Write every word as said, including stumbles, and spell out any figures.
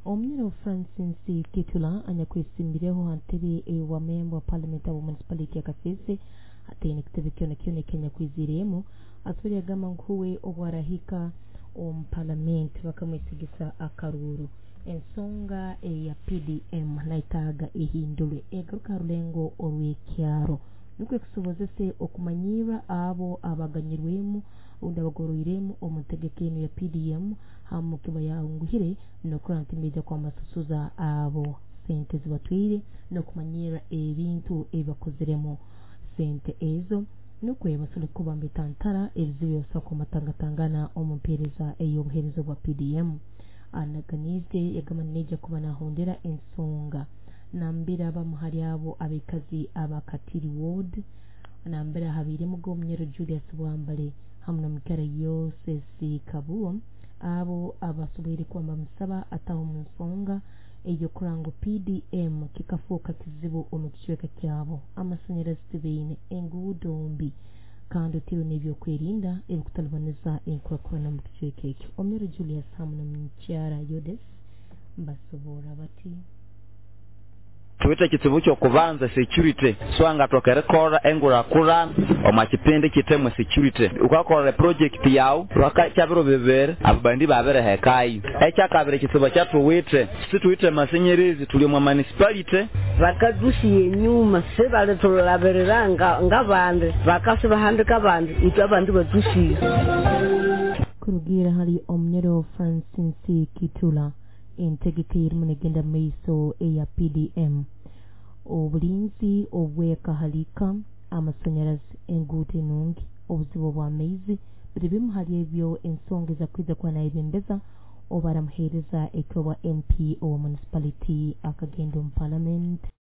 Omunyoro Francis Kitula anyakwesimbireho ha ntebe ewa memba wa parliament abo municipality ya Kasese ataine kitebe kyona kyona ekyanyakwiziiremu asobora yagamba ngu huwe obwarahika omu parliament bakamwesigisa akaruuru ensonga eya P D M naitaaga ehindurwe egaruka ha rulengo orw'ekyaro nukwo ekusobozese okumanyirra abo abaganyirwemu obundi abagoroiremu omu ntegeka enu ya P D M hamu kiba yanguhire n'okurora nti nibaija kwamasusuza abo sente zibatwire n'okumanyirra ebintu ebibakoziremu sente ezo nukwo basobole kuba mbetantara ebizibu ebibasobora kumatangatangana omu mpeereza ey'obuheereza bwa P D M. Anaganize yagamba naija kuba nahondera ensonga nambira abamu hali abo abaikazi aba Katiri Ward nambira habiiremu Omunyoro Julius Bwambale hamu n'omukyara Yosesi Kabuo abo abasoboire kuba bamusaba ataho mu nsonga ey'okurora ngu P D M kikafuuka kizibu omu kicweka kyabo amasanyarazi tibaine enguudo mbi kandi otiirwe n'ebyokwerinda ebikutalibaniza enkurakurana mu kicweka ekyo. Omunyoro Julius hamu n'omukyara Yodes basoboora bati tuwite kitsibu kyokubanza security swanga twakerekora engurakurana omu kipindi kitemwe security ukakora project yawu lwakakyabiro bibiri abandi babirehekayo ekyakabiri kitsibu kyatuwite situwite masenyerezi tuli omu municipality bakadusiye enyuma sebalitulabirira ngabandi bakasibahandika abandi itwe abandi badusiye. Kurugira hali Omunyoro Francis Kitula entegeka erimu negenda maiso eya P D M obulinzi obwekahalika amasanyarazi enguudo enungi obuzibu bw'amaizi biri bimu hali ebyo ensonga ezakwiza kuba nayebembeza oba aramuheereza ekyo bwa M P owa municipality akagenda omu parliament.